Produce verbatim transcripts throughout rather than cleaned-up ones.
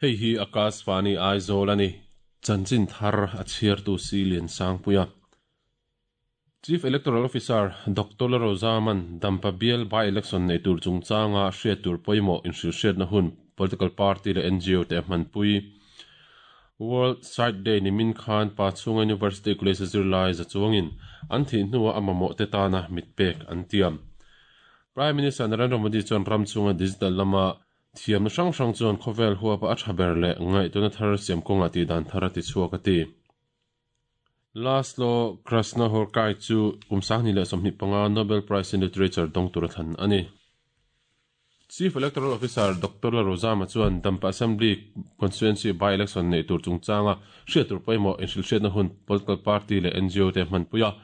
Hei hi Akashvani Aizawl ani. Chanchin thar a chhiartu si lian sangpuia. Chief Electoral Officer Doctor Rozaman Dampa Bial by election nei tur chungchanga hriat tur pawimawh inhrilhhriatna hun political party leh N G O te hmanpui. World Sight Day nimin khan Pachhunga University College zirlai za chuangin an thih hnuah a mamawh te tana mitpek an tiam. Prime Minister Narendra Modi chuan ram chunga digital lama thiamna hrang hrang chuan khawvel huapa a tha ber leh ngaihtuahna thar siam kawnga tih dan thar a ti chhuak a ti. Laszlo Krasznahorkai chu kum sanghnih leh sawmhnih panga Nobel Prize in Literature dawng tur a thlan ani. Chief Electoral Officer Doctor Rozama chuan Dampa Assembly Constituency by-election nei tur chungchanga hriat tur pawimawh inhrilhhriatna hun political party leh N G O te hmanpuia.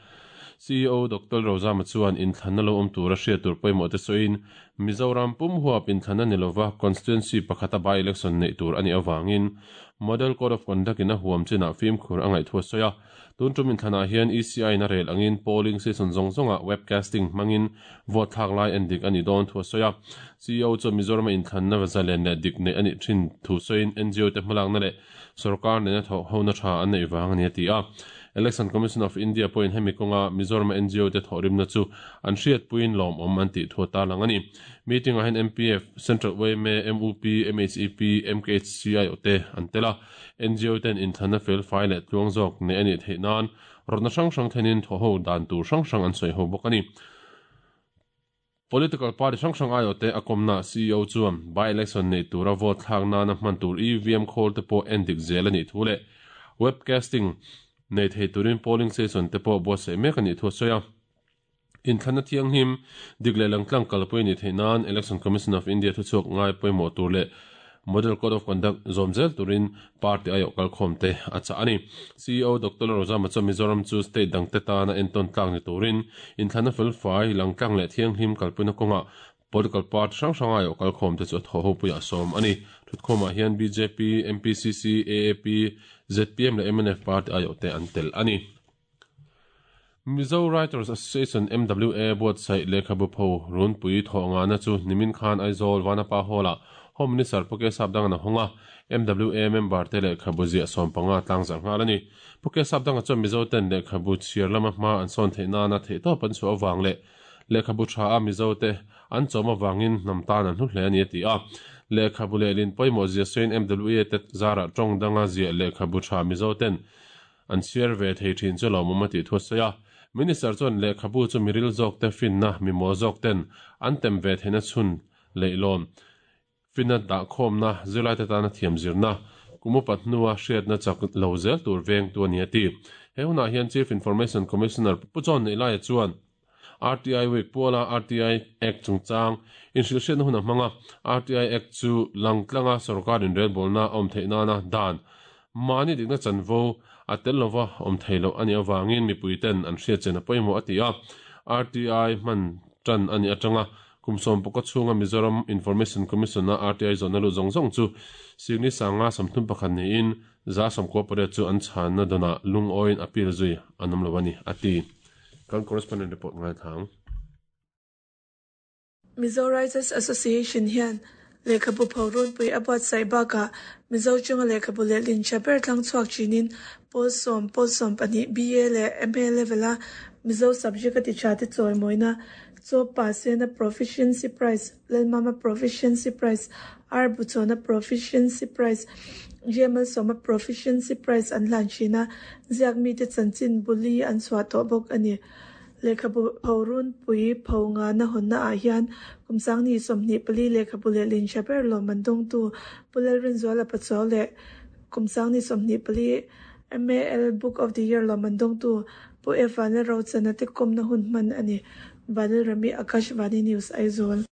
C E O Doctor Rozama chuan inthlanna lo awm tura hriat tur pawimawh te sawiin Mizoram pum huap inthlanna ni lova constituency pakhata by-election nei tur ani awangin Model Code of Conduct in a huam chinah fimkhur a ngaih thu a sawi a. Tun tum inthlanah hian E C I na rel angin polling station zawng zawnga webcasting hmangin vote thlak lai en dik ani dawn thu a sawi a. C E O chu Mizoram inthlanna zalen leh dik nei ani thin thu sawiin N G O te hmalakna leh sarkar nena tho hona tha an nei wang ani a ti a. Election Commission of India point hemi kawnga Mizoram N G O te thawhrimna chu an hriat puiin lawm awm an tih thu ta lang ani. Meeting ah hian M P F, Central Y M A, M U P, M H E P, M K H C I O te an tel a. N G O ten inthlanna fel fai leh tluang zawk nei ani theih nan rawtna hrang hrang thenin thaw ho dan tur hrang hrang an sawi ho bawk ani. Political party hrang hrang aio te a kawmna C E O chuan by-election nei tura vote thlak nana hman tur E V M khawl te pawh en dik zel ani thu leh webcasting nei thei turin polling station te pawh buatsaih mek ani thu a sawi a. Inthlanna thianghlim dik leh langtlang kalpui ni theih nan Election Commission of India thu chhuak ngai pawimawh tur leh Model Code of Conduct zawm zel turin party aio kalkhawm te a chah ani. C E O Doctor Rozama chuan Mizoram chu state dang te tana entawn tlak ni turin inthlanna fel fai langtlang leh thianghlim kalpuina kawnga political party hrang hrang aio kalkhawm te chu a thaw ho puiah sawm ani. Thutkhawmah hian B J P, M P C C, A A P, Z P M leh M N F party aio te an tel ani. Mizo Writers Association M W A buatsaih lehkhabu pho runpui thawh ngana chu nimin khan Aizawl Vanapa Hall-ah Home Minister Puke Sapdanga na honga M W A member te lehkhabu ziah sawm panga tlang zarh nghal ani. Puke Sapdanga chuan Mizo ten lehkhabu chhiar lama hma an sawn theih nana theih tawp an chhuah awang leh lehkhabu tha a Mizo te an chawm awangin hnam tan an hlu hle ani a ti a. Lehkhabu leh lin pawimawh zia sawiin M W A te zarah tawng danga ziah lehkhabu tha Mizo ten an chhiar ve thei thin chu lawmawm a tih thu a sawi a. Minister chuan lehkhabu chu miril zawk te finna mimaw zawk ten an tem ve theihna chhun leihlawn finna dah khawmna zirlai te tana thiam zirna kumu pathnua hriatna chak lo zel tur veng tu ani a ti. He hunah hian Chief Information Commissioner Pu John Nei Laia chuan R T I Week Puala R T I Act chungchang inhrilhhriatna hun a hmanga R T I Act chu langtlanga sarkar inrelbawlna awm theih nana dan mahni dikna chanvo a tel lova awm thei loh ani awangin mipui ten an hriat chen a pawimawh a ti a. R T I hman tan ani atanga kumsawm pawka chhunga Mizoram Information Commission na R T I zawhna lu zawng zawng chu Signi sanga samthum pakhat niin za sawmkua pariat chu an chhanna danah lungawiin appeal zui an awm lo ani a ti. Kan correspondent report ngai thang. Mizo Writers Association hian lehkhabu pho runpui a buatsaih bakah Mizo chunga lehkhabu leh lin tha ber tlang chhuak thinin pawl sawm pawl sawm pahnih B A leh M A level a Mizo subject a ti tha te chawi mawina Chaw Pa Sena Proficiency Prize, Lalmama Proficiency Prize, R Buchona Proficiency Prize, G M L Soma Proficiency Prize an hlan thina ziak mi te chanchin buli an chhuah tawh bawk ani. Lehkhabu pho runpui pho nga na hawnna ah hian kumsangni sawmhnih pali lehkhabu leh lin tha ber lawm an dawng tu Pulal Rinzuala Pachuau leh kumsangni sawmhnih pali M A L Book of the Year lawm an dawng tu Pu F Vanlal Rochana te kawmna hun hman ani. Vanlal Rami Akashvani News Aizawl.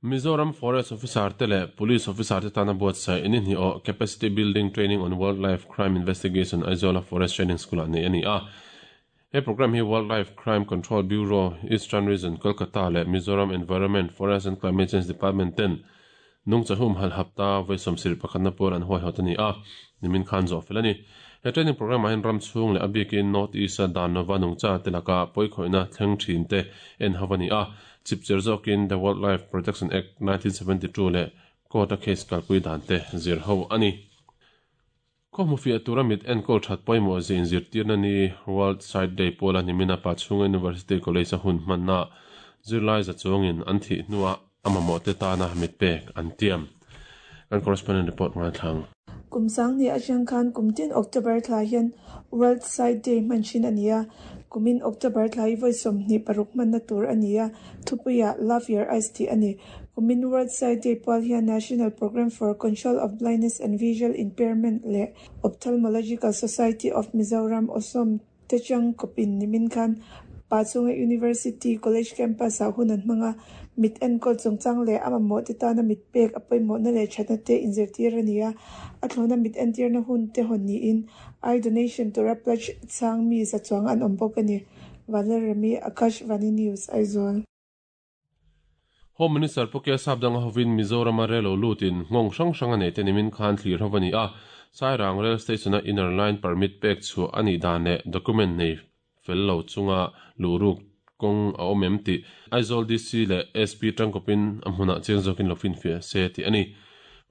Mizoram Forest Officer te leh Police Officer te tana buatsaih in hi o Capacity Building Training on Wildlife Crime Investigation Aizawl Forest Training School ani ani a. He program hi Wildlife Crime Control Bureau Eastern Region Kolkata leh Mizoram Environment Forest and Climate Change Department ten nung chahum hal hapta voisom sir pakhatna por an hoi hotani a nimin khan zo felani. He training program ahin ram chung le abikin North East dan nova nung cha telaka poi khoina thleng thin te en hawani a chipcher zokin the Wildlife Protection Act nineteen seventy-two le court a case kalpui dan te zir ho ani. Ko mu fia tura mit enkol that poimo zin zirtirna ni World Sight Day pola nimina pa chunga University College a hun manna zirlai za chungin an thi nuwa amamo te ta na mit pek an tiam. Kan correspondent report ngai thang. Kumsang ni atang khan kumtin October thla hian World Sight Day manchin ania kumin October thla hi voi sawmhnih paruk man na tur ania thupuia Love Your Eyes ti ani. Kumin World Sight Day pual hian National Program for Control of Blindness and Visual Impairment le Ophthalmological Society of Mizoram osom techang kopin nimin khan Pachunga University College Campus a hunan hmanga mit enkol chungchang le ama mo te tana mit pek apoimo na le thatna te inzirtir ania a thlona mit entir na hun te hon ni in eye donation tura pledge chang mi za chuang an awm bawk ani. Valerami Akash Vani News Aizawl. Home Minister Pukia Sabdang hovin Mizoram a relo lutin ngong sang sang ane te nimin khan thlir hovani a Sairang Rail Station a inner line permit pek chu ani dan le document nei fello chunga luruk kong a omem ti Aizawl D C le S P tangkopin amhuna chengzokin lofin fe se ti ani.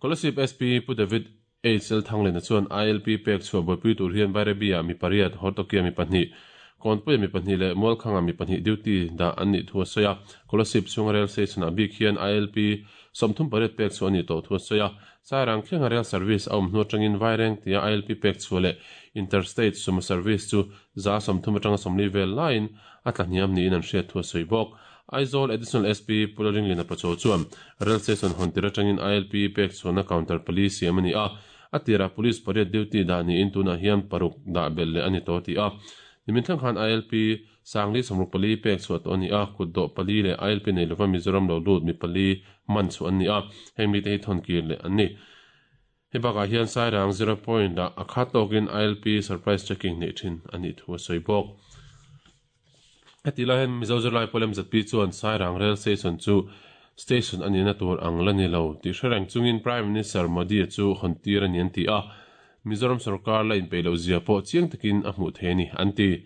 Kolasib S P Pu David H L Thanglen chuan I L P pek chu bopui tur hian Bairabia mi pariat Hortokia mi pahnih Konpui mi pahnih le Mualkhanga mi pahnih duty da an ni thua soya. Kolasib chunga rail station a bik hian I L P somthum pariat pek chu ani to thua soya. Sairang thlenga rail service a awm hnu atangin Vaireng tia I L P pek chu le interstate sumo service chu za somthum atanga somli vel line a tlahniam niin an hriat thua soi bawk. Aizawl Additional S P Pularing Lina Pacho chuan rail station hawn tir atangin I L P pek chuan counter police siam ani a atira police pariat duty da ni in tuna hian paruk da bel le ani to ti a. Nimin thleng khan I L P sangli somruk pali pek chu to ani a kutdo pali le I L P nei lova Mizoram lo lut mi pali man chu ani a heng mi te hi thon kir le ani. Hebaka hian Sairang zero point da akhat tokin I L P surprise checking nei thin ani thu soi bawk. Hetila hen Mizo Zirlai Polem Z P chuan Sairang Rail Station chu station ani na tur ang lani lo ti hrereng chungin Prime Minister Modi chu hontir ani an ti a Mizoram sarkar la in peilo zia pawh chiang takin a hmuh thei ani an ti.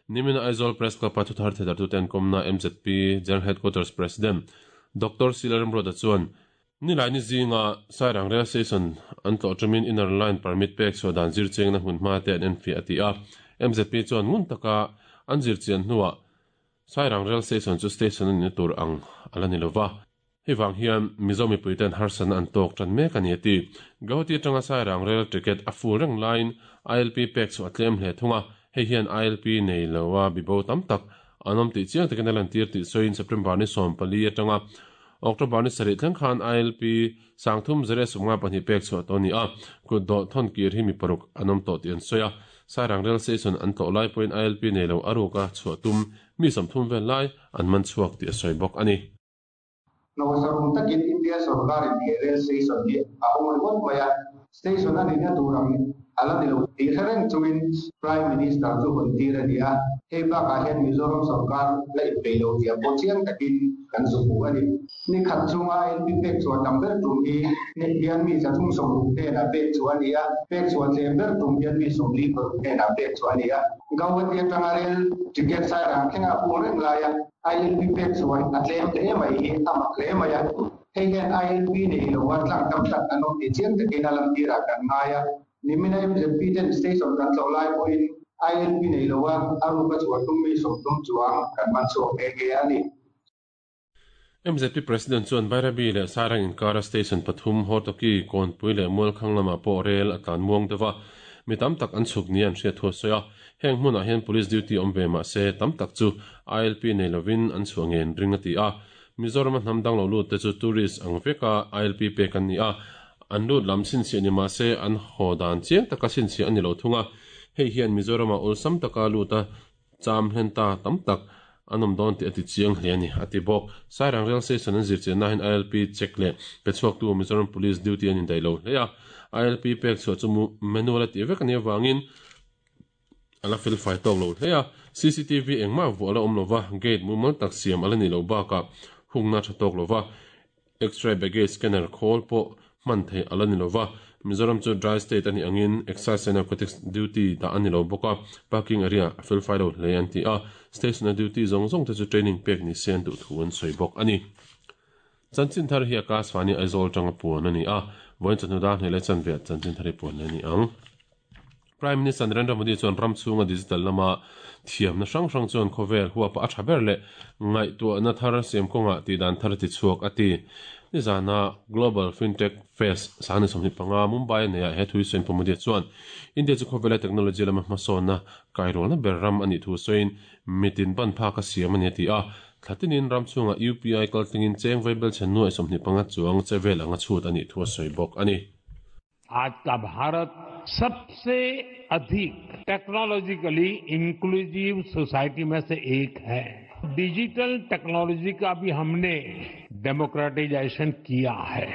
Nimina Aizawl Press Club a thuthar thedar tu ten komna M Z P General Headquarters President Doctor Silaram Roda chuan nilai ni zinga Sairang Rail Station an tlo chamin inner line permit pek chu dan zir cheng na hmun hma te an en fi ati a M Z P chuan ngun taka an zir chian hnuah Sairang Rail Station chu station ani tur ang alani lova. Hewang hian Mizo mipuiten harsan an tok tran mek ani ati. Guwahati atanga Sairang Rail ticket a full reng line I L P pek chu atlem hle thunga. Hei hian I L P nei lowa bibo tam tak anom ti chiang takin alan tir ti soin September ni sawm pali atanga October ni sarih thleng khan I L P sangthum zere sumnga pahnih pek chu to ni a kutdo thon kir hi mi paruk anom to ti an soya. Sairang Rail Station an tlo lai point I L P nei lo aruka chhuatum mi samthum vel lai an man chuak ti a soi bawk ani. Nawasarum takin India sarkar in rail station hi a hong ringawt mai a station ani na turang ala ni lo ti hrereng chungin Prime Minister chu hun tir ani a hei bakah hian Mizoram sarkar la in peilo tia pawh chiang takin kan zu hmu ani. Ni khat chunga I L P pek chuan tam ber tum hi ni hian mi za thum sawmruk hnenah pek chu ani a pek chuan tlem ber tum hian mi sawmli paruk hnenah pek chu ani a. Guwahati atanga rail ticket Sairang thlenga pung reng lai a I L P pek chuan a tlem hle mai hi a mak hle mai a hei hian I L P nei lo a tlang tam tak an awm ti chiang takin a lam tirah kan ngai a. Nimina M Z P ten station kan tlo lai pawhin I L P nei lo a aruka chuan tum mi sawmtum chuang kan man chhuak nghe nghe ani. M Z P President chuan Bairabi le Sairang inkara station pathum Hortoki Kawnpui le Mualkhang lama pawh rail a tlan muang deuha mi tam tak an chhuk ni an hriat thua sawi a heng hmunah hian police duty awm ve mah se tam tak chu I L P nei lovin an chhuah ngen ring a ti a. Mizoram a hnam dang lo lut te chu tourist ang veka I L P pek an ni a an lut lam chhinchhiah ni mah se an haw dan chiang taka chhinchhiah ani lo thunga hei hian Mizoram a awlsam taka lut a cham hlen ta tam tak anom dawn ti ati chiang hle ani ati bawk. Sairang Rail Station an zir chian na hian I L P check le pe chhuak tu Mizoram Police duty an indai lo hle a I L P pek chhuah chu manual a ti vek ani awangin ala fel fai tawk lo hle a C C T V engmah vuah ala awm lova gate mumal tak siam ala ni lo bakah hungna tha tawk lova X-ray baggage scanner khawl pawh hman thei ala ni lova. Mizoram chu dry state ani angin excise and narcotics duty da ani lo bawk a parking area a fel fai lo hle an ti a station a duty zawng zawng te chu training pek ni se an duh thu an sawi bawk ani. Chanchin thar hi Akashvani Aizawl tanga puan ani a voin chanu da hnele chanve chanchin thari puan ani ang. Prime Minister Narendra Modi chuan ram chunga digital lama thiam na hrang hrang chuan khawvel huwa pa a tha ber le ngai tu na thar sem konga ti dan thar ti chuak ati ni zana Global Fintech Fest sani somni panga Mumbai ne he thui sen Modi chuan India chu khawvel technology lama hmasawn na kairol na ber ram ani thu soin mitin ban pha ka siam ani ti a thatinin ram chunga U P I kaltingin cheng veibel chen nuai somni panga chuang chevel anga chhut ani thu soi bok ani. आज का भारत सबसे अधिक technologically inclusive society में से एक है। Digital technology का भी हमने डेमोक्रेटाइजेशन किया है।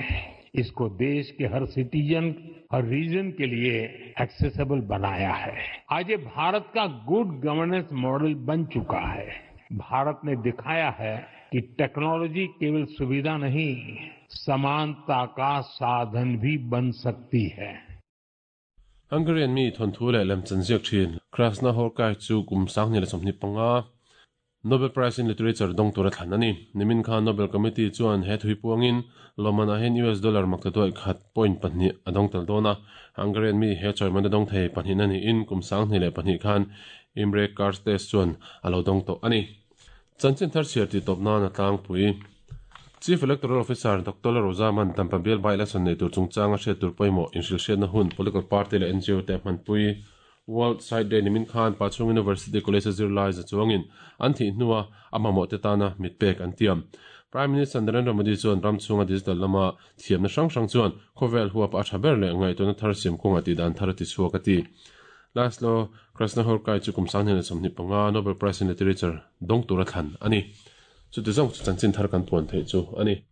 इसको देश के हर सिटीजन, हर रीजन के लिए एक्सेसिबल बनाया है। आज ये भारत का good governance model बन चुका है। भारत ने दिखाया है कि टेक्नोलॉजी केवल सुविधा नहीं, समानता का साधन भी बन सकती है। Hungarian mi thon thu le lem chan ziak thin Krasna Horkai chu kum sang ni le somni panga Nobel Prize in Literature dong tura thlan ani. Nimin kha Nobel Committee chuan he thui puangin lomana hen U S dollar makta khat point pahnih adong tel dona. Hungarian mi he choiman dong thei pahnih ani in kum sang ni le pahnih khan Imre Kertész chuan alo dong to ani. Chanchin thar chiar ti topna na tlang pui Chief Electoral Officer Doctor Rozaman Tampabiel by election nei tur chungchanga hriat tur pawimawh inhrilh hriatna hun political party le N G O te hman pui World Sight Day nimin khan Pachung University College zirlai za chuangin an thi hnua a mamawh te tana mitpek an tiam. Prime Minister Narendra Modi chuan ram chunga digital lama thiamna hrang hrang chuan khawvel huap a tha ber le ngaihtuahna thar siam kawnga ti dan thar ti chhuak a ti. Laszlo Krasznahorkai chu kum sang hnen sawmhnih panga Nobel Prize in Literature dong tura thlan ani. Chu ti zawng chu chanchin thar kan puan theih chu ani.